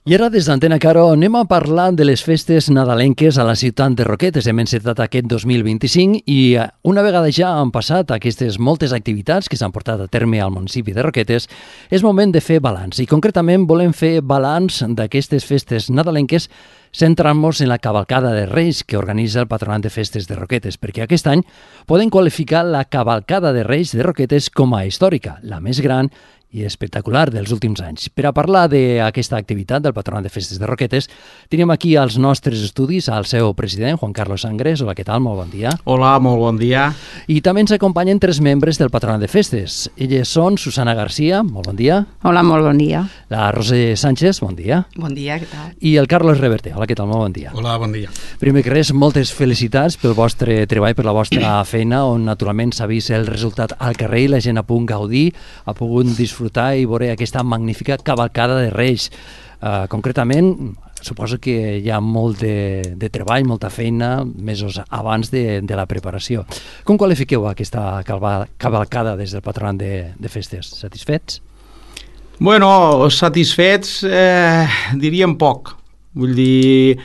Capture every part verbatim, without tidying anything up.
I ara des d'Antena Caro anem a parlar de les festes nadalenques a la ciutat de Roquetes. Hem encetat aquest dos mil vint-i-cinc i una vegada ja han passat aquestes moltes activitats que s'han portat a terme al municipi de Roquetes, és moment de fer balanç. I concretament volem fer balanç d'aquestes festes nadalenques centrant-nos en la cavalcada de Reis que organitza el Patronat de Festes de Roquetes, perquè aquest any podem qualificar la cavalcada de Reis de Roquetes com a històrica, la més gran i espectacular dels últims anys. Per a parlar d'aquesta activitat del Patronat de Festes de Roquetes, tenim aquí als nostres estudis al seu president, Juan Carlos Sangres. Hola, què tal? Molt bon dia. Hola, molt bon dia. I també ens acompanyen tres membres del Patronat de Festes. Elles són Susana García, molt bon dia. Hola, molt bon dia. La Roser Sánchez, bon dia. Bon dia, què tal? I el Carlos Reverter. Hola, què tal? Molt bon dia. Hola, bon dia. Primer que res, moltes felicitats pel vostre treball, per la vostra feina, on naturalment s'ha vist el resultat al carrer i la gent ha pogut gaudir, ha pogut disfrutar i veure aquesta magnífica cavalcada de Reis. Uh, concretament, suposo que hi ha molt de, de treball, molta feina, mesos abans de, de la preparació. Com qualifiqueu aquesta cavalcada des del Patronat de, de Festes? Satisfets? Bueno, satisfets eh, diríem poc. Vull dir,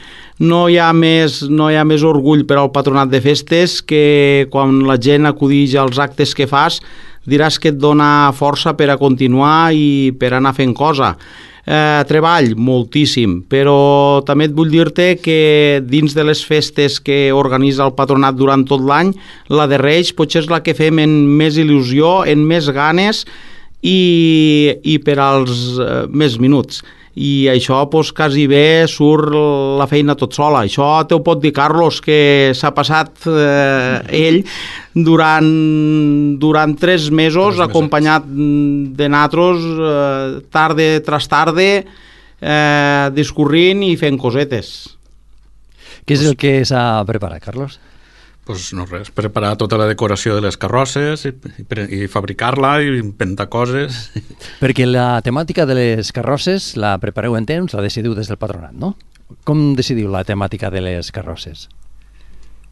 no hi ha més, no hi ha més orgull per al Patronat de Festes que quan la gent acudix als actes que fas diràs que et dona força per a continuar i per anar fent cosa. Eh, treball, moltíssim, però també et vull dir-te que dins de les festes que organitza el Patronat durant tot l'any, la de Reis potser és la que fem en més il·lusió, en més ganes i, i per als eh, més minuts. I això pues, quasi bé surt la feina tot sola. Això te ho pot dir Carlos, que s'ha passat eh, ell durant, durant tres mesos tres acompanyat de natros eh, tarde tras tarde eh, discorrint i fent cosetes. Què és el que s'ha preparat, Carlos? Pues no res, preparar tota la decoració de les carrosses i, i, i fabricar-la i inventar coses. Perquè la temàtica de les carrosses la prepareu en temps, la decidiu des del Patronat, no? Com decidiu la temàtica de les carrosses?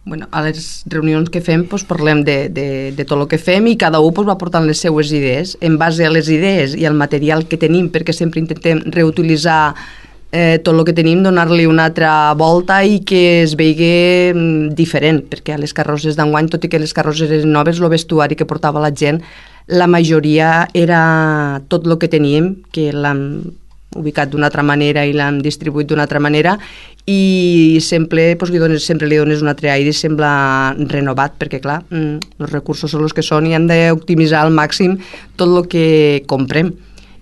Bueno, a les reunions que fem doncs, parlem de, de, de tot el que fem i cada un doncs, va portant les seues idees. En base a les idees i al material que tenim, perquè sempre intentem reutilitzar Eh, tot el que tenim, donar-li una altra volta i que es vegi mm, diferent, perquè a les carrosses d'enguany, tot i que les carrosses eren noves, el vestuari que portava la gent, la majoria era tot el que teníem, que l'hem ubicat d'una altra manera i l'hem distribuït d'una altra manera i sempre, doncs, li dones, sempre li dones un altre aire i sembla renovat, perquè clar, mm, els recursos són els que són i hem d'optimitzar al màxim tot el que comprem.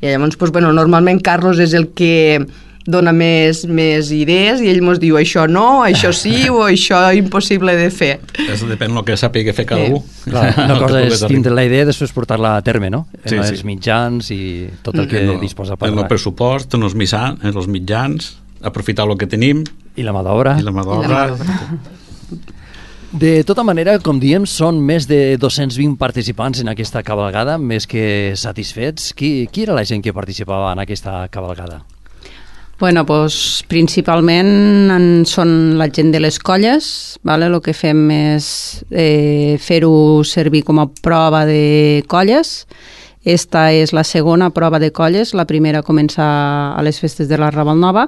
I llavors, doncs, bueno, normalment Carlos és el que dona més, més idees i ell ens diu això no, això sí o això impossible de fer. Això depèn del que sàpiga fer cada sí. un. Clar, una cosa és tindre la idea i després portar-la a terme, no? En sí, els sí. mitjans i tot el que en el, disposa per en el pressupost, en els, mitjans, en els mitjans, aprofitar el que tenim. I la mà d'obra. I la mà d'obra. De tota manera, com diem, són més de dos-cents vint participants en aquesta cavalgada, més que satisfets. Qui, qui era la gent que participava en aquesta cavalgada? Bueno, doncs, principalment en, són la gent de les colles, vale? El que fem és eh, fer-ho servir com a prova de colles. Esta és la segona prova de colles, la primera comença a les festes de la Raval Nova,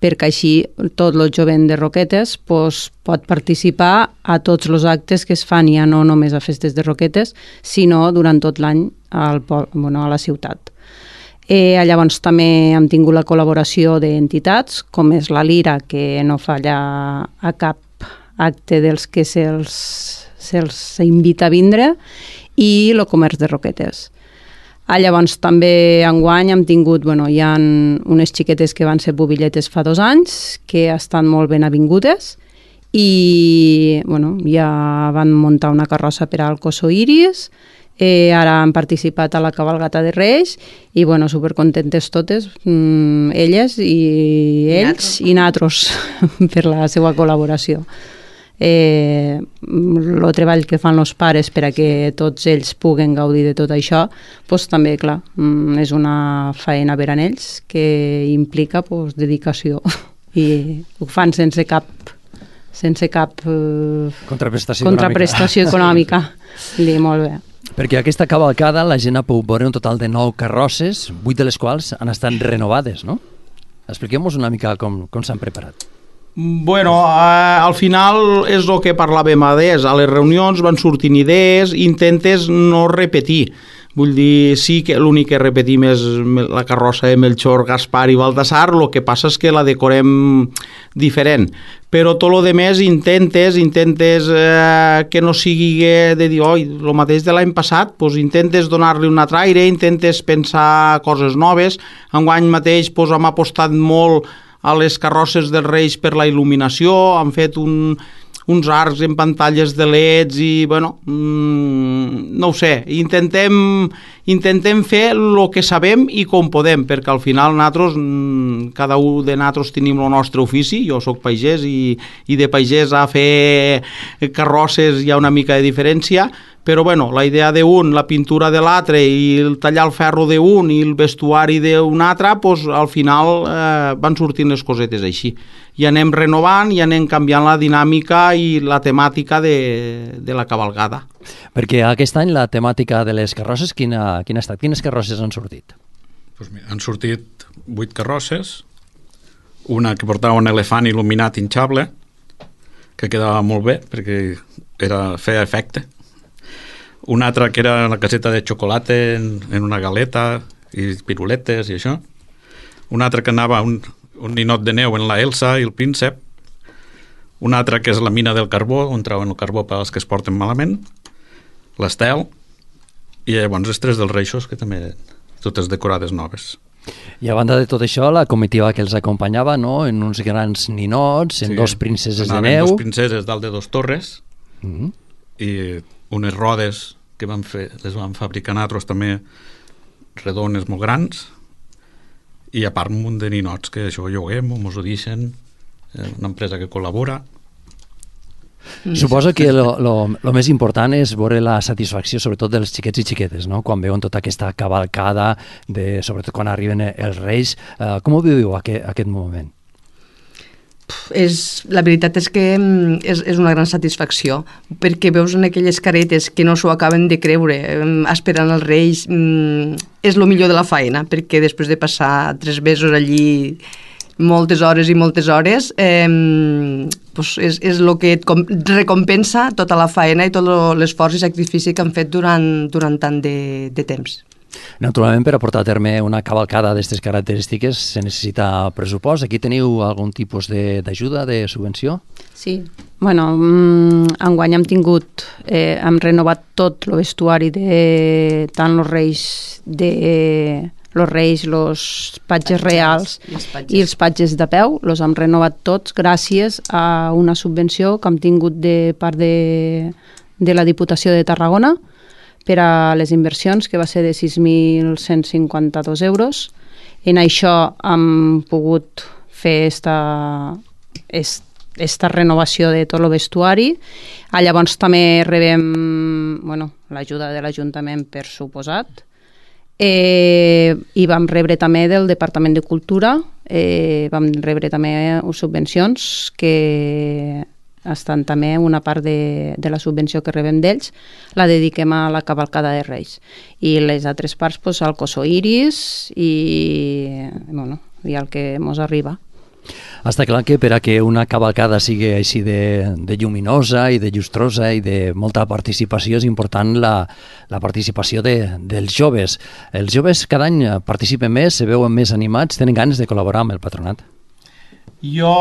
perquè així tot el jovent de Roquetes pues, pot participar a tots els actes que es fan, ja no només a festes de Roquetes, sinó durant tot l'any al, bueno, a la ciutat. Eh, llavors també hem tingut la col·laboració d'entitats, com és la Lira, que no falla a cap acte dels que se'ls se invita a vindre, i el Comerç de Roquetes. Ah, llavors també enguany hem tingut, bueno, hi ha unes xiquetes que van ser bubilletes fa dos anys, que estan molt ben avingudes, i bueno, ja van muntar una carrossa per al Coso Iris. Eh, ara han participat a la cavalgata de Reis i, bueno, supercontentes totes, mm, elles i ells i natros per la seva col·laboració. Eh, el treball que fan els pares per a que tots ells puguen gaudir de tot això, pues, també, clar, mm, és una feina per a ells que implica pues, dedicació i ho fan sense cap sense cap eh, contraprestació, contraprestació econòmica. econòmica. Molt bé. Perquè aquesta cavalcada la gent ha pogut veure un total de nou carrosses, vuit de les quals han estat renovades, no? Expliquem-nos una mica com, com s'han preparat. Bueno, eh, al final és el que parlàvem abans, a les reunions van sortint idees, intentes no repetir. Vull dir, sí que l'únic que repetim és la carrossa de Melchor, Gaspar i Baltasar, el que passa és que la decorem diferent. Però tot el més intentes, intentes eh, que no sigui de dir, oi, el mateix de l'any passat, doncs intentes donar-li un altre aire, intentes pensar coses noves. Enguany mateix doncs, hem apostat molt a les carrosses dels Reis per la il·luminació, han fet un, uns arcs en pantalles de L E Ds i, bueno, mmm, no ho sé, intentem, intentem fer el que sabem i com podem, perquè al final nosaltres, mmm, cada un de nosaltres tenim el nostre ofici, jo sóc pagès i, i de pagès a fer carrosses hi ha una mica de diferència, però bueno, la idea d'un, la pintura de l'altre i el tallar el ferro d'un i el vestuari d'un altre, doncs al final eh, van sortint les cosetes així. I anem renovant i anem canviant la dinàmica i la temàtica de, de la cavalcada. Perquè aquest any la temàtica de les carrosses, quina, quina ha estat? Quines carrosses han sortit? Pues mira, han sortit vuit carrosses, una que portava un elefant il·luminat hinxable, que quedava molt bé perquè era, feia efecte. Una altra que era la caseta de xocolata en, en una galeta i piruletes i això. Una altra que anava un, un ninot de neu en la Elsa i el príncep. Una altra que és la mina del carbó, on trauen el carbó per als que es porten malament. L'estel. I llavors les tres dels Reixos, que també totes decorades noves. I a banda de tot això, la comitiva que els acompanyava, no?, en uns grans ninots, en sí, dos princeses de neu. Dos princeses dalt de dos torres. Mm-hmm. I unes rodes que van fer, les van fabricar nosaltres també redones molt grans, i a part un munt de ninots que això lloguem o mos ho deixen, una empresa que col·labora. Suposo que lo, lo, lo més important és veure la satisfacció sobretot dels xiquets i xiquetes, no?, quan veuen tota aquesta cavalcada, de, sobretot quan arriben els Reis. Uh, com ho viviu aquest, aquest moment? És, la veritat és que és, és una gran satisfacció, perquè veus en aquelles caretes que no s'ho acaben de creure, esperant els Reis. És el millor de la faena, perquè després de passar tres mesos allí, moltes hores i moltes hores, eh, doncs és, és el que et recompensa tota la faena i tot l'esforç i sacrifici que han fet durant, durant tant de, de temps. Naturalment, per a portar a terme una cavalcada d'aquestes característiques se necessita pressupost. Aquí teniu algun tipus d'ajuda, de, de subvenció? Sí. Bueno, mmm, enguany hem tingut, eh, hem renovat tot el vestuari de tant els reis, de eh, los reis, los patges reals patges. I els patges de peu, els hem renovat tots gràcies a una subvenció que hem tingut de part de, de la Diputació de Tarragona, per a les inversions, que va ser de sis mil cent cinquanta-dos euros. En això hem pogut fer esta, esta renovació de tot el vestuari. Ah, llavors també rebem bueno, l'ajuda de l'Ajuntament, per suposat. Eh, I vam rebre també del Departament de Cultura, eh, vam rebre també subvencions que estan també una part de, de la subvenció que rebem d'ells, la dediquem a la cavalcada de Reis. I les altres parts, pues, al Coso Iris i, bueno, i el que mos arriba. Està clar que per a que una cavalcada sigui així de, de lluminosa i de llustrosa i de molta participació és important la, la participació de, dels joves. Els joves cada any participen més, se veuen més animats, tenen ganes de col·laborar amb el patronat. Jo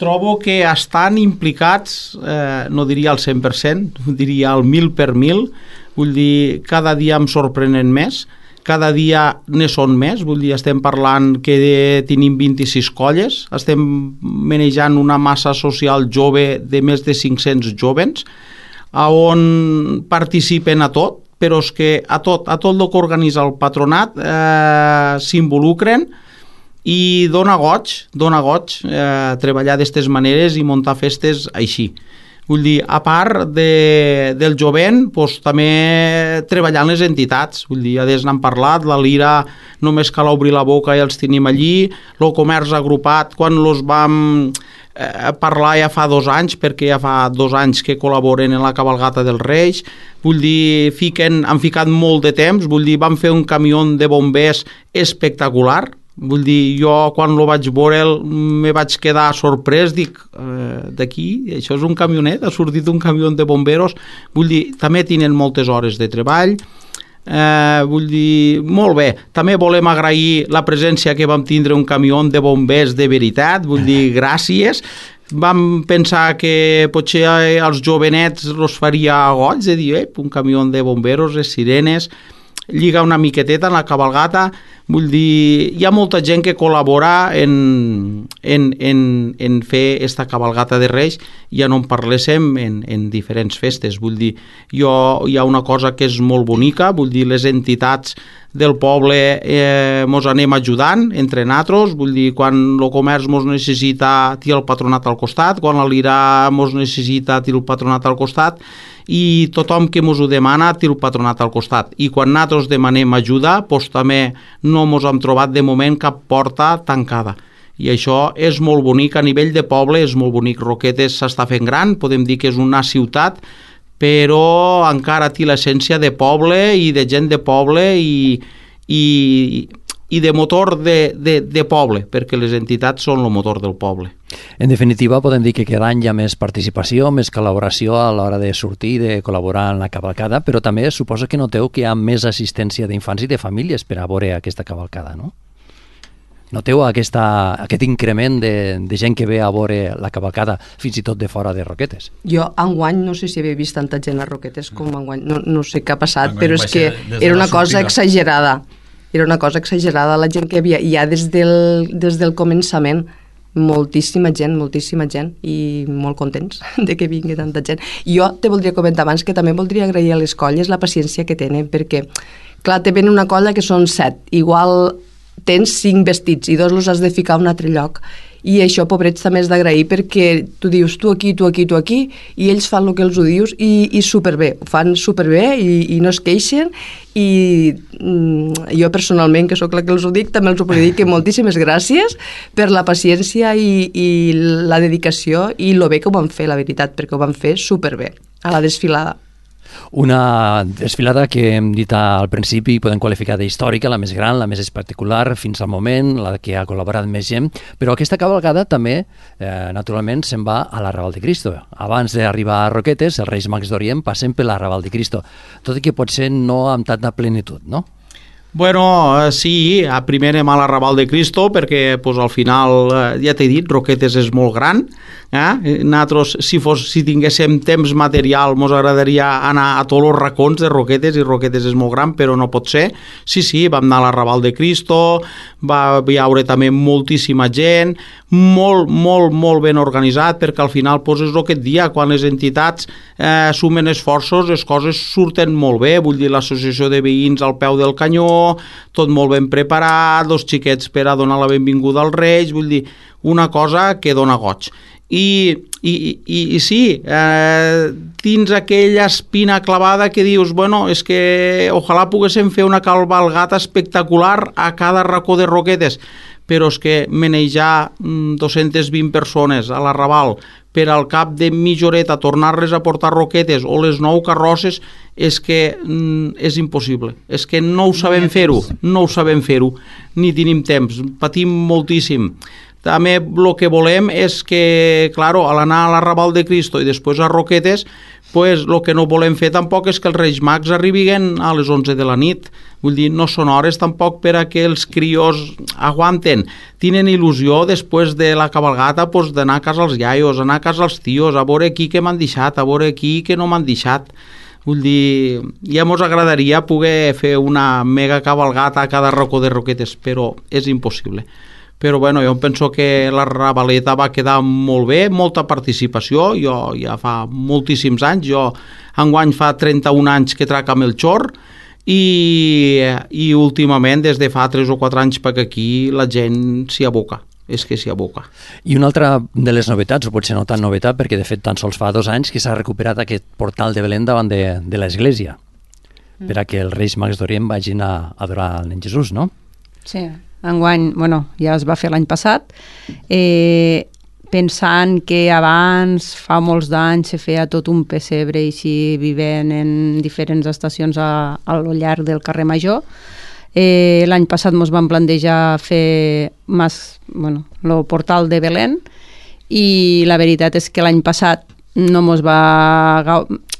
trobo que estan implicats, eh, no diria al cent per cent, diria al mil per mil, vull dir, cada dia em sorprenen més, cada dia ne són més, vull dir, estem parlant que tenim vint-i-sis colles, estem manejant una massa social jove de més de cinc-cents jovens, on participen a tot, però és que a tot, a tot el que organitza el patronat eh, s'involucren, i dona goig, dona goig eh, treballar d'aquestes maneres i muntar festes així. Vull dir, a part de, del jovent, doncs, també treballar en les entitats. Vull dir, ja des n'han parlat, la Lira només cal obrir la boca i els tenim allí, el comerç agrupat, quan els vam eh, parlar ja fa dos anys, perquè ja fa dos anys que col·laboren en la cavalgata dels Reis, vull dir, fiquen, han ficat molt de temps, vull dir, van fer un camió de bombers espectacular, Vull dir, jo quan lo vaig veure me vaig quedar sorprès, dic, eh, d'aquí, això és un camionet, ha sortit un camió de bomberos, vull dir, també tenen moltes hores de treball, eh, vull dir, molt bé, també volem agrair la presència que vam tindre un camió de bombers de veritat, vull dir, gràcies. Vam pensar que potser als jovenets els faria goig de dir, eh, un camió de bomberos, les sirenes, lliga una miqueteta en la cabalgata. Vull dir, hi ha molta gent que col·labora en, en, en, en fer esta cabalgata de Reis, ja no en parléssim en, en diferents festes. Vull dir, jo, hi ha una cosa que és molt bonica, vull dir, les entitats del poble eh, mos anem ajudant entre nosaltres, vull dir, quan el comerç mos necessita, té el patronat al costat, quan l'Irà mos necessita, té el patronat al costat, i tothom que mos ho demana té el patronat al costat. I quan nosaltres demanem ajuda, doncs també no mos hem trobat de moment cap porta tancada. I això és molt bonic a nivell de poble, és molt bonic. Roquetes s'està fent gran, podem dir que és una ciutat, però encara té l'essència de poble i de gent de poble i, i, i de motor de, de, de poble, perquè les entitats són el motor del poble. En definitiva, podem dir que cada any hi ha més participació, més col·laboració a l'hora de sortir, de col·laborar en la cavalcada, però també suposo que noteu que hi ha més assistència d'infants i de famílies per a veure aquesta cavalcada, no? Noteu aquesta, aquest increment de, de gent que ve a veure la cavalcada, fins i tot de fora de Roquetes? Jo, enguany, no sé si havia vist tanta gent a Roquetes com enguany, no, no sé què ha passat, enguany però és que era una cosa exagerada. Era una cosa exagerada la gent que havia, ja des del, des del començament, moltíssima gent, moltíssima gent, i molt contents de que vingui tanta gent. Jo te voldria comentar abans que també voldria agrair a les colles la paciència que tenen, perquè, clar, te ven una colla que són set, igual tens cinc vestits i dos els has de ficar a un altre lloc, i això, pobrets, també és d'agrair, perquè tu dius tu aquí, tu aquí, tu aquí, i ells fan el que els ho dius, i, i superbé, ho fan superbé, i, i no es queixen, i mm, jo personalment, que sóc la que els ho dic, també els ho puc dir que moltíssimes gràcies per la paciència i, i la dedicació i lo bé que ho van fer, la veritat, perquè ho van fer superbé a la desfilada. Una desfilada que hem dit al principi podem qualificar d'històrica, la més gran, la més espectacular fins al moment, la que ha col·laborat més gent, però aquesta cavalcada també, eh, naturalment, se'n va a l'Arrabal de Cristo. Abans d'arribar a Roquetes, els Reis Mags d'Orient passen per l'Arrabal de Cristo, tot i que potser no amb tanta plenitud, no? Bueno, sí, primer anem a l'Arrabal de Cristo perquè pues, al final, ja t'he dit, Roquetes és molt gran. Eh? Nosaltres, si, fos, si tinguéssim temps material, ens agradaria anar a tots els racons de Roquetes, i Roquetes és molt gran, però no pot ser. Sí, sí, vam anar a l'Arrabal de Cristo, va haure també moltíssima gent, molt, molt, molt ben organitzat, perquè al final pues, és el que et dia, quan les entitats eh, sumen esforços, les coses surten molt bé, vull dir, l'associació de veïns al peu del canyó, tot molt ben preparat, dos xiquets per a donar la benvinguda als Reis, vull dir, una cosa que dona goig. I, i, i, i sí, eh, tens aquella espina clavada que dius, bueno, és que ojalà poguéssim fer una cavalgata espectacular a cada racó de Roquetes, però és que manejar dos-centes vint persones a l'Arrabal per al cap de mitja horeta tornar-les a portar Roquetes o les nou carrosses és que mm, és impossible. És que no ho sabem fer-ho, no ho sabem fer-ho, ni tenim temps, patim moltíssim. També el que volem és que, claro, a l'anar a l'Arrabal de Cristo i després a Roquetes, pues el que no volem fer tampoc és que els Reis Mags arribin a les onze de la nit. Vull dir, no són hores tampoc per a que els crios aguanten. Tenen il·lusió després de la cabalgata pues, d'anar a casa els iaios, anar a casa els tios, a veure aquí que m'han deixat, a veure aquí que no m'han deixat. Vull dir, ja mos agradaria poder fer una mega cabalgata a cada racó de Roquetes, però és impossible. Però bueno, jo penso que la Ravaleta va quedar molt bé, molta participació, jo ja fa moltíssims anys, jo enguany fa trenta-un anys que trac amb el xor, i, i últimament, des de fa tres o quatre anys per aquí, la gent s'hi aboca, és que s'hi aboca. I una altra de les novetats, o potser no tan novetat, perquè de fet tan sols fa dos anys que s'ha recuperat aquest portal de Belén davant de, de l'església, mm. per a que els Reis Mags d'Orient vagin a adorar el nen Jesús, no? Sí, enguany, bueno, ja es va fer l'any passat, eh, pensant que abans, fa molts d'anys, se feia tot un pessebre i així vivent en diferents estacions a, a lo llarg del carrer Major. Eh, l'any passat ens vam plantejar fer mas, bueno, el portal de Belén, i la veritat és que l'any passat no mos va,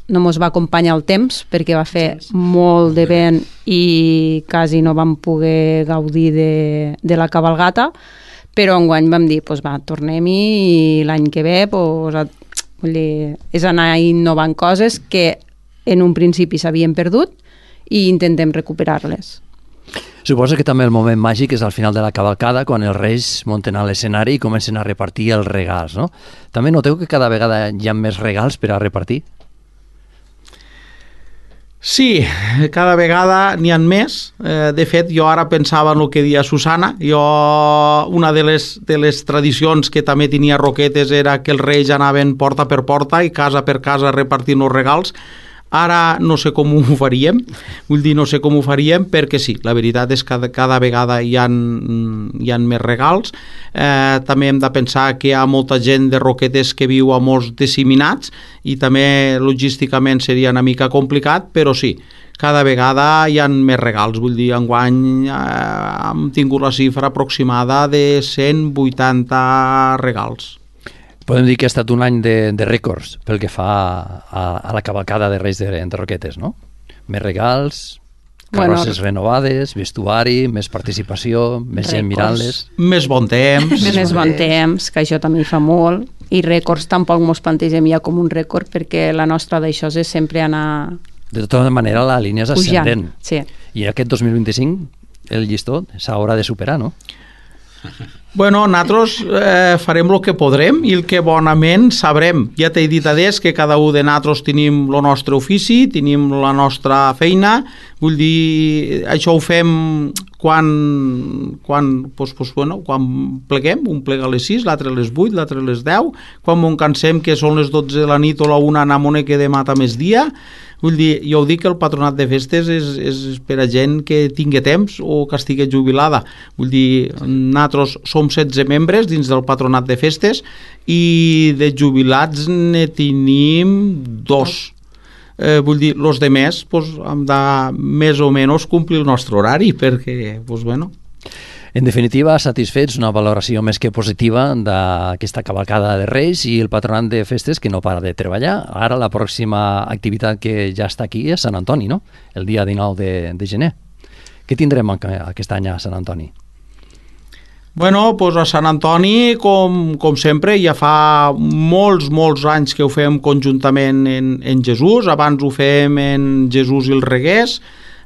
no mos va acompanyar el temps perquè va fer molt de vent i quasi no vam poder gaudir de, de la cabalgata, però enguany vam dir, pues va, tornem-hi i l'any que ve pues, vull dir, és anar innovant coses que en un principi s'havien perdut i intentem recuperar-les. Suposo que també el moment màgic és al final de la cavalcada, quan els reis munten a l'escenari i comencen a repartir els regals, no? També noteu que cada vegada hi ha més regals per a repartir? Sí, cada vegada n'hi ha més. Eh, de fet, jo ara pensava en el que deia Susana. Jo, una de les, de les tradicions que també tenia Roquetes era que els reis anaven porta per porta i casa per casa repartint els regals. Ara no sé com ho faríem, vull dir, no sé com ho faríem, perquè sí, la veritat és que cada, cada vegada hi ha, hi ha més regals. Eh, també hem de pensar que hi ha molta gent de Roquetes que viu a molts disseminats i també logísticament seria una mica complicat, però sí, cada vegada hi ha més regals. Vull dir, enguany eh, hem tingut la xifra aproximada de cent vuitanta regals. Podem dir que ha estat un any de, de rècords pel que fa a, a la cavalcada de Reis de, de Roquetes, no? Més regals, carrosses bueno, renovades, vestuari, més participació, més gent mirant-les. Més bon temps. Més, més bon temps, que això també hi fa molt. I rècords tampoc mos plantegem ja com un rècord, perquè la nostra d'això és sempre anar... De tota manera, la línia és ascendent. Sí. I aquest dos mil vint-i-cinc el llistó s'haurà de superar, no? Bueno, nosaltres eh, farem el que podrem i el que bonament sabrem. Ja t'he dit adés que cada un de nosaltres tenim el nostre ofici, tenim la nostra feina, vull dir, això ho fem quan, quan, pues, pues, bueno, quan pleguem, un plega a les sis, l'altre a les vuit, l'altre a les deu, quan ens cansem que són les dotze de la nit o la una anem que demà més dia. Vull dir, jo ho dic que el patronat de festes és, és per a gent que tingui temps o que estigui jubilada. Vull dir, nosaltres som setze membres dins del patronat de festes i de jubilats ne tenim dos. Eh, vull dir, els demés pues, hem de més o menys complir el nostre horari perquè, pues, bueno... En definitiva, satisfets, una valoració més que positiva d'aquesta cavalcada de Reis i el patronat de festes que no para de treballar. Ara la pròxima activitat que ja està aquí és Sant Antoni, no? El dia dinou de, de gener. Què tindrem aquest any a Sant Antoni? Bueno, doncs a Sant Antoni, com, com sempre, ja fa molts, molts anys que ho fem conjuntament en, en Jesús. Abans ho fem en Jesús i els Reguers,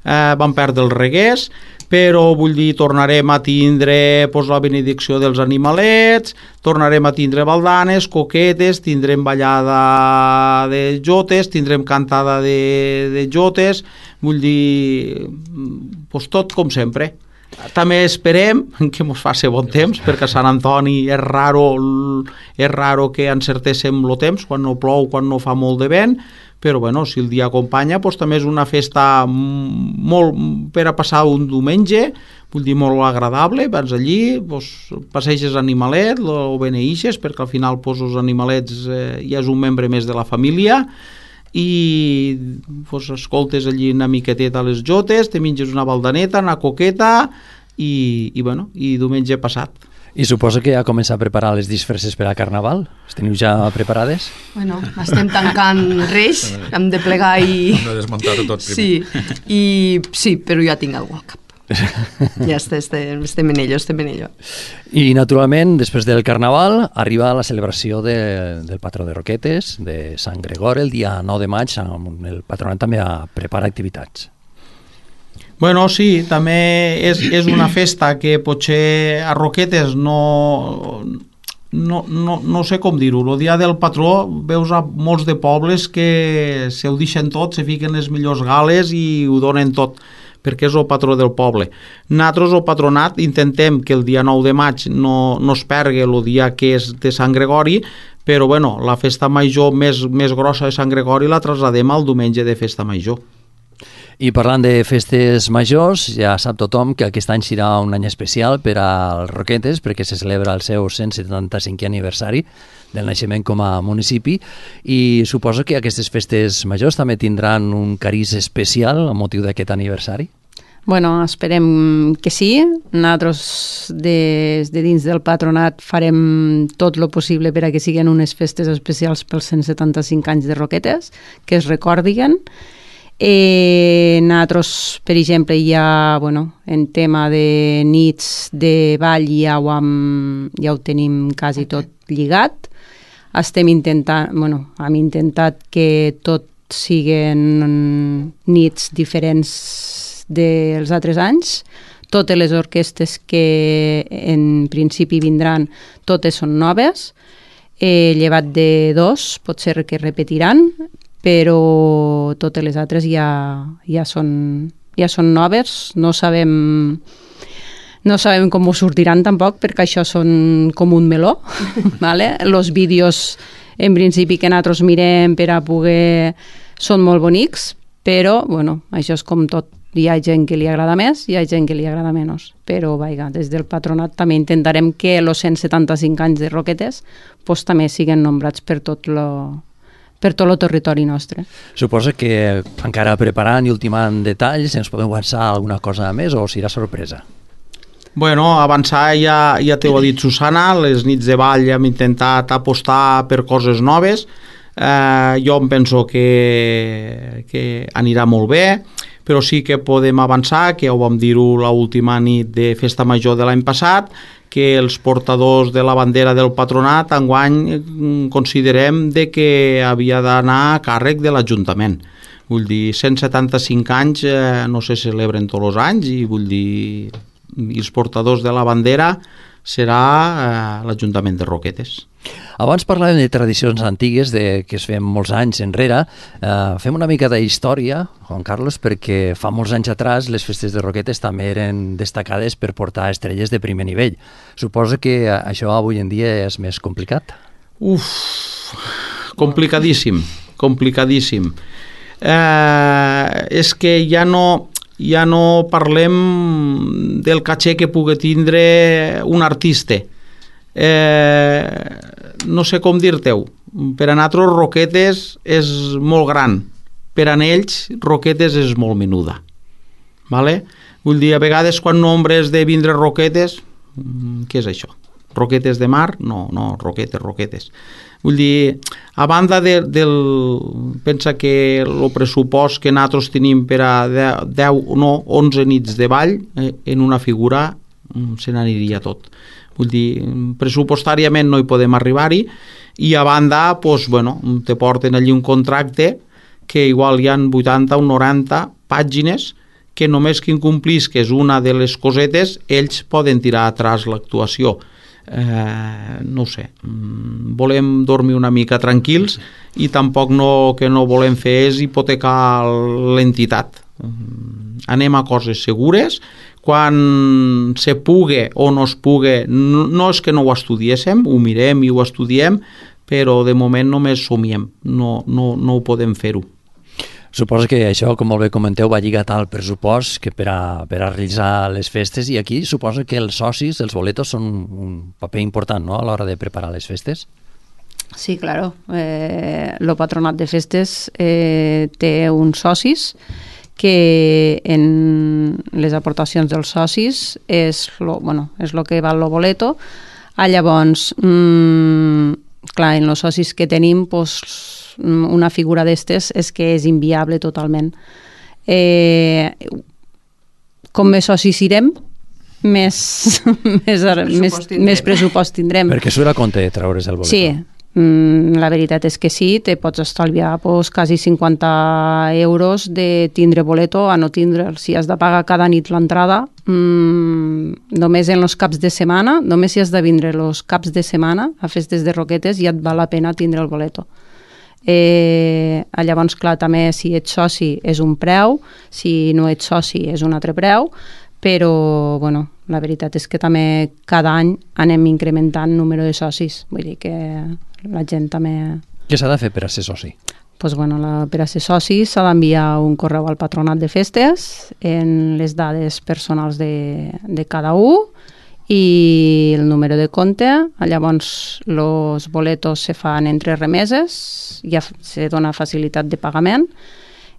eh, vam perdre els Reguers, però vull dir, tornarem a tindre pues, la benedicció dels animalets, tornarem a tindre baldanes, coquetes, tindrem ballada de jotes, tindrem cantada de, de jotes, vull dir, pues, tot com sempre. També esperem que ens faci bon temps, perquè a Sant Antoni és raro, és raro que encertéssim el temps, quan no plou, quan no fa molt de vent, però bueno, si el dia acompanya, doncs també és una festa molt per a passar un diumenge, vull dir, molt agradable, vas allí, doncs, passeges animalet, o beneeixes, perquè al final doncs, els animalets eh, ja és un membre més de la família, i doncs, escoltes allí una miqueteta a les jotes, te menges una baldaneta, una coqueta, i, i, bueno, i diumenge passat. I suposo que ja comença a preparar les disfresses per a Carnaval? Les teniu ja preparades? Bueno, estem tancant Reis, hem de plegar i... Hem de desmuntar-ho tot primer. Sí, i, sí, però ja tinc algú al cap. Ja està, estem, estem en ello, estem en ello. I naturalment, després del Carnaval, arriba la celebració de, del patró de Roquetes, de Sant Gregori, el dia nou de maig, on el patronat també prepara activitats. Bueno, sí, també és, és una festa que potser a Roquetes no, no, no, no sé com dir-ho. El dia del patró veus a molts de pobles que se ho deixen tot, se fiquen les millors gales i ho donen tot, perquè és el patró del poble. Nosaltres, el patronat, intentem que el dia nou de maig no, no es pergui el dia que és de Sant Gregori, però bueno, la festa major més, més grossa de Sant Gregori la trasladem al diumenge de festa major. I parlant de festes majors, ja sap tothom que aquest any serà un any especial per als Roquetes, perquè se celebra el seu cent setanta-cinquè aniversari del naixement com a municipi, i suposo que aquestes festes majors també tindran un cariz especial a motiu d'aquest aniversari? Bueno, esperem que sí. Nosaltres des de dins del patronat farem tot el possible per a que siguin unes festes especials pels cent setanta-cinc anys de Roquetes, que es recordin. Eh, nosaltres, per exemple, ja, bueno, en tema de nits de ball ja ho, hem, ja ho tenim quasi tot lligat. Estem intentant, bueno, hem intentat que tot siguin nits diferents dels altres anys. Totes les orquestes que en principi vindran, totes són noves, eh, llevat de dos, pot ser que repetiran, però totes les altres ja, ja, són, ja són noves. No sabem, no sabem com ho sortiran tampoc, perquè això són com un meló. Vale? Els vídeos, en principi, que nosaltres mirem per a poder... són molt bonics, però bueno, això és com tot. Hi ha gent que li agrada més, hi ha gent que li agrada menys. Però, vaja, des del patronat també intentarem que els cent setanta-cinc anys de Roquetes pues, també siguin nombrats per tot lo, per tot el territori nostre. Suposo que encara preparant i ultimant detalls, ens podem avançar alguna cosa més o serà sorpresa? Bueno, avançar ja, ja t'ho ha dit Susana, les nits de ball hem intentat apostar per coses noves. Eh, jo em penso que, que anirà molt bé, però sí que podem avançar, que ho vam dir-ho l'última nit de Festa Major de l'any passat, que els portadors de la bandera del patronat enguany considerem de que havia d'anar a càrrec de l'Ajuntament. Vull dir, cent setanta-cinc anys eh, no se celebren tots els anys i vull dir, i els portadors de la bandera serà eh, l'Ajuntament de Roquetes. Abans parlàvem de tradicions antigues de, que es fem molts anys enrere. Eh, fem una mica d'història, Juan Carlos, perquè fa molts anys atrás les festes de Roquetes també eren destacades per portar estrelles de primer nivell. Suposo que això avui en dia és més complicat? Uf, complicadíssim, complicadíssim. Eh, és que ja no, ja no parlem del caché que pugui tindre un artista. Eh, no sé com dir-te-ho. Per a nosaltres Roquetes és molt gran, per a ells Roquetes és molt menuda. Vale? Vull dir, a vegades quan nombres de vindre Roquetes, què és això? Roquetes de mar? No, no, Roquetes, Roquetes. Vull dir, a banda de, del... Pensa que el pressupost que nosaltres tenim per a deu, no, onze nits de ball eh, en una figura se n'aniria tot. Vull dir, pressupostàriament no hi podem arribar-hi i a banda, doncs, bueno, te porten allí un contracte que igual hi ha vuitanta o noranta pàgines que només que incomplisques una de les cosetes ells poden tirar atrás l'actuació. Eh, no ho sé, volem dormir una mica tranquils i tampoc no, que no volem fer és hipotecar l'entitat. Anem a coses segures, quan se pugui o no es pugui, no, no és que no ho estudiéssim, ho mirem i ho estudiem, però de moment només somiem, no, no, no ho podem fer-ho. Suposo que això, com molt bé comenteu, va lligat al pressupost que per a, per a realitzar les festes, i aquí suposo que els socis, els boletos, són un paper important, no?, a l'hora de preparar les festes. Sí, claro. Eh, el patronat de festes eh, té uns socis que en les aportacions dels socis és lo, bueno, és lo que val el boleto. Ah, llavors, mmm, clar, en els socis que tenim, pues, una figura d'estes és que és inviable totalment. Eh, com més socis irem, més, més, pressupost més, més pressupost tindrem. Perquè surt a compte de treure's el boleto. Sí, la veritat és que sí, te pots estalviar pues, quasi cinquanta euros de tindre boleto a no tindre'l. Si has de pagar cada nit l'entrada, mmm, només en els caps de setmana, només si has de vindre els caps de setmana a festes de Roquetes ja et val la pena tindre el boleto. Eh, llavors, clar, també si ets soci és un preu, si no ets soci és un altre preu, però bueno, la veritat és que també cada any anem incrementant número de socis, vull dir que la gent també... Què s'ha de fer per a ser soci? Pues, bueno, la, per a ser soci s'ha d'enviar un correu al patronat de festes en les dades personals de, de cada un i el número de compte. Llavors els boletos se fan entre remeses, ja se dona facilitat de pagament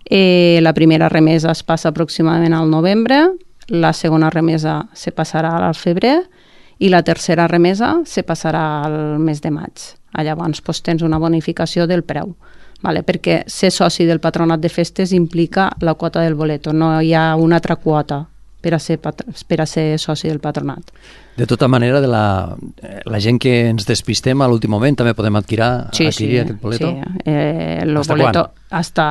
Eh, la primera remesa es passa aproximadament al novembre, la segona remesa se passarà al febrer i la tercera remesa se passarà al mes de maig. Llavors doncs, tens una bonificació del preu, vale? Perquè ser soci del Patronat de Festes implica la quota del boleto, no hi ha una altra quota per a ser, per a ser soci del patronat. De tota manera, de la, la gent que ens despistem a l'últim moment també podem adquirir, sí, adquirir sí, aquest boleto? Sí, eh, el hasta boleto quan? hasta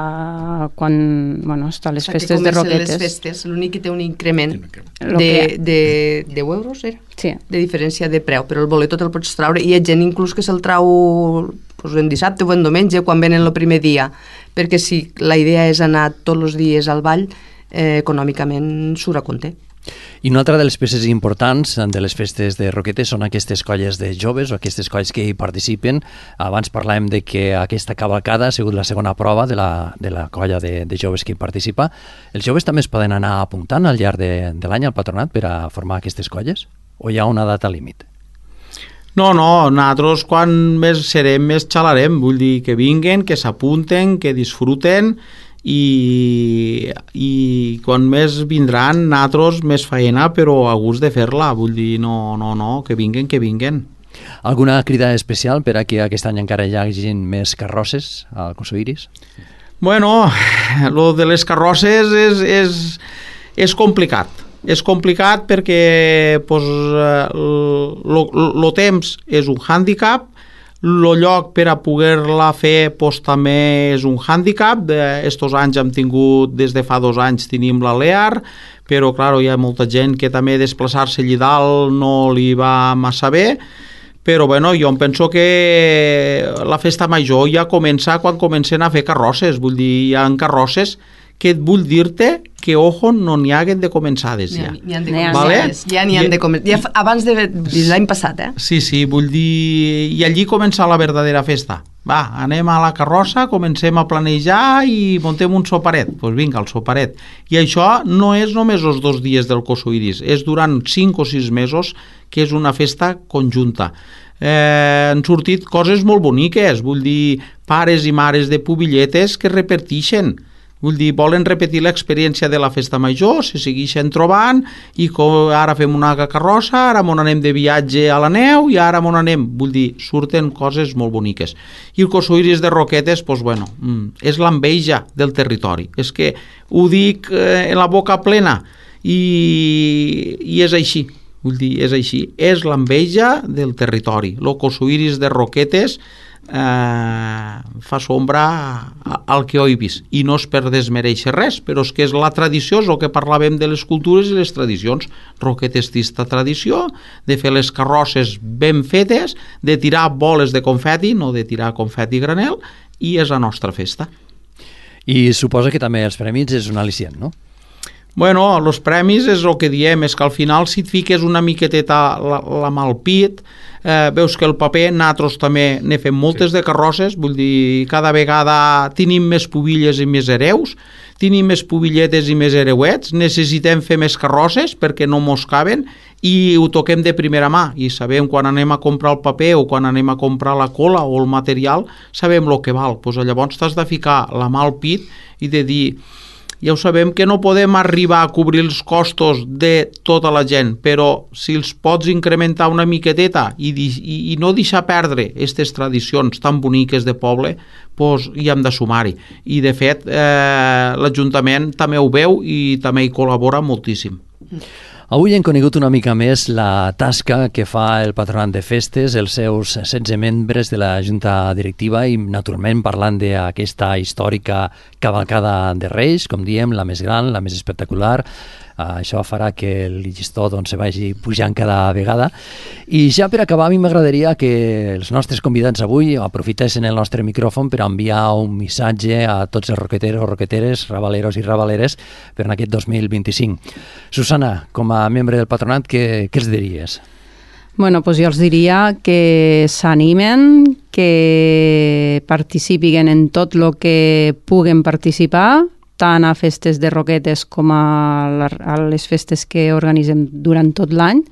quan, bueno, hasta les o sigui, festes de Roquetes. les festes, l'únic que té un increment Lo de, que... de deu euros, era? Sí. De diferència de preu, però el boleto te'l pots traure, i hi ha gent inclús que se'l trau pues, en dissabte o en diumenge, quan venen el primer dia, perquè si la idea és anar tots els dies al ball, eh, econòmicament surt a compte. I una altra de les peces importants de les festes de Roquetes són aquestes colles de joves o aquestes colles que hi participen. Abans parlàvem de que aquesta cavalcada ha sigut la segona prova de la, de la colla de, de joves que hi participa. Els joves també es poden anar apuntant al llarg de, de l'any al patronat per a formar aquestes colles? O hi ha una data límit? No, no, nosaltres quan més serem més xalarem, vull dir que vinguen, que s'apunten, que disfruten, i, i quan més vindran nosaltres més faena, però a gust de fer-la, vull dir, no, no, no, que vinguen, que vinguen. Alguna crida especial per a que aquest any encara hi hagi més carrosses al Cosoiris? Bueno, lo de les carrosses és, és, és complicat. És complicat perquè pues, el temps és un hàndicap, el lloc per a poder-la fer pues, també és un hàndicap. Estos anys hem tingut, des de fa dos anys tenim la Lear, però clar, hi ha molta gent que també desplaçar-se allà dalt no li va massa bé, però bueno, jo em penso que la festa major ja comença quan comencen a fer carrosses, vull dir, hi ha carrosses que et vull dir-te que, ojo, no n'hi haguen de començades ja. N'hi han de N'hi ha, començades, vale? ja n'hi han de començades. Ja abans de l'any passat, eh? Sí, sí, vull dir... I allí comença la verdadera festa. Va, anem a la carrossa, comencem a planejar i muntem un soparet. Doncs pues vinga, el soparet. I això no és només els dos dies del Cosoiris, és durant cinc o sis mesos que és una festa conjunta. Eh, han sortit coses molt boniques, vull dir, pares i mares de pubilletes que repeteixen. Vull dir, volen repetir l'experiència de la festa major, se segueixen trobant i com ara fem una carrossa, ara m'on anem de viatge a la neu i ara m'on anem. Vull dir, surten coses molt boniques. I el Cosoiris de Roquetes, doncs, bueno, és l'enveja del territori. És que ho dic eh, en la boca plena i, i és així. Vull dir, és així. És l'enveja del territori. El Cosoiris de Roquetes Eh, fa sombra al que ho he vist, i no és per desmereixer res, però és que és la tradició, és el que parlàvem de les cultures i les tradicions. Roquetes té esta tradició de fer les carrosses ben fetes, de tirar boles de confeti, no de tirar confeti granel, i és la nostra festa. I suposa que també els premis és un al·licient, no? Bueno, els premis és el que diem, és que al final si et fiques una miqueteta la, la mà al pit, eh, veus que el paper, nosaltres també ne fem moltes sí. de carrosses, vull dir, cada vegada tenim més pubilles i més hereus, tenim més pubilletes i més hereuets, necessitem fer més carrosses perquè no mos caben i ho toquem de primera mà i sabem quan anem a comprar el paper o quan anem a comprar la cola o el material, sabem el que val. Pues llavors t'has de ficar la mà al pit i de dir... Ja ho sabem que no podem arribar a cobrir els costos de tota la gent, però si els pots incrementar una miqueteta i, i, i no deixar perdre aquestes tradicions tan boniques de poble, doncs hi hem de sumar-hi. I de fet, eh, l'Ajuntament també ho veu i també hi col·labora moltíssim. Avui hem conegut una mica més la tasca que fa el Patronat de Festes, els seus setze membres de la Junta Directiva i, naturalment, parlant d'aquesta històrica cavalcada de Reis, com diem, la més gran, la més espectacular. Això farà que el llistó doncs, se vagi pujant cada vegada. I ja per acabar, a mi m'agradaria que els nostres convidats avui aprofitessin el nostre micròfon per enviar un missatge a tots els roqueteros, roqueteres, rabaleros i rabaleres per en aquest dos mil vint-i-cinc. Susana, com a membre del patronat, què, què els diries? Bueno, doncs jo els diria que s'animen, que participin en tot el que puguen participar, tant a festes de Roquetes com a les festes que organitzem durant tot l'any,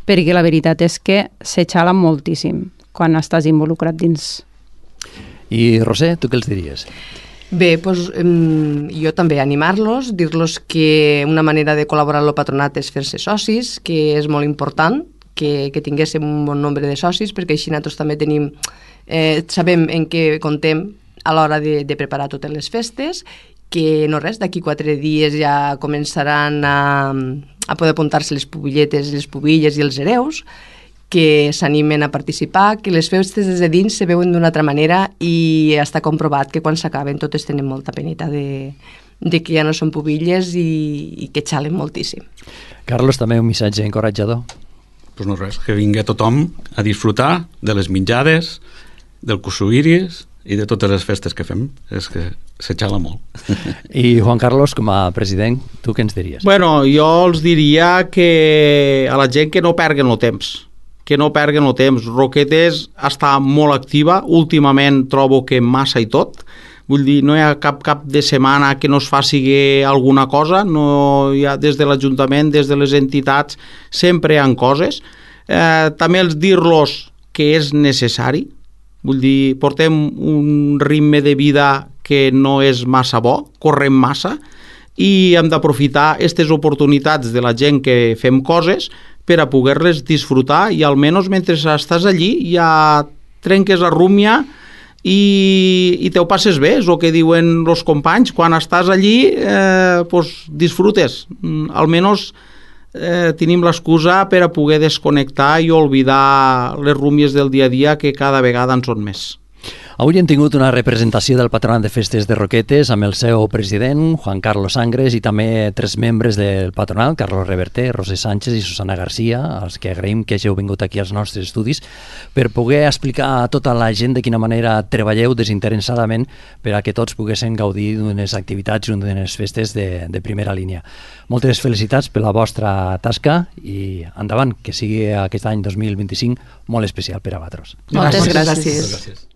perquè la veritat és que s'exhala moltíssim quan estàs involucrat dins. I Roser, tu què els diries? Bé, doncs, jo també animar-los, dir-los que una manera de col·laborar amb el patronat és fer-se socis, que és molt important que, que tinguéssim un bon nombre de socis, perquè així nosaltres també tenim, eh, sabem en què contem a l'hora de, de preparar totes les festes, que no res, d'aquí quatre dies ja començaran a, a poder apuntar-se les pubilletes, les pubilles i els hereus, que s'animen a participar, que les festes des de dins se veuen d'una altra manera i està comprovat que quan s'acaben totes tenen molta penita de, de que ja no són pubilles i, i que xalen moltíssim. Carlos, també un missatge encoratjador. Pues no res, que vingui tothom a disfrutar de les menjades, del cusuïris i de totes les festes que fem. És que se xala molt. I Juan Carlos, com a president, tu què ens diries? Bueno, jo els diria que a la gent que no perguen el temps, que no perguen el temps. Roquetes està molt activa, últimament trobo que massa i tot, vull dir, no hi ha cap cap de setmana que no es faci alguna cosa, no hi ha des de l'Ajuntament, des de les entitats, sempre hi ha coses. Eh, també els dir-los que és necessari, vull dir, portem un ritme de vida que no és massa bo, correm massa, i hem d'aprofitar aquestes oportunitats de la gent que fem coses per a poder-les disfrutar i almenys mentre estàs allí ja trenques la rúmia i, i te ho passes bé, és el que diuen els companys, quan estàs allí eh, pues, disfrutes, almenys eh, tenim l'excusa per a poder desconnectar i oblidar les rúmies del dia a dia que cada vegada en són més. Avui hem tingut una representació del Patronat de Festes de Roquetes amb el seu president, Juan Carlos Sangres, i també tres membres del patronat, Carlos Reverter, Roser Sánchez i Susana Garcia, als que agraïm que hàgiu vingut aquí als nostres estudis per poder explicar a tota la gent de quina manera treballeu desinteressadament per a que tots poguessin gaudir d'unes activitats i d'unes festes de, de primera línia. Moltes felicitats per la vostra tasca i endavant, que sigui aquest any dos mil vint-i-cinc molt especial per a vosaltres. Moltes gràcies. gràcies. Gràcies.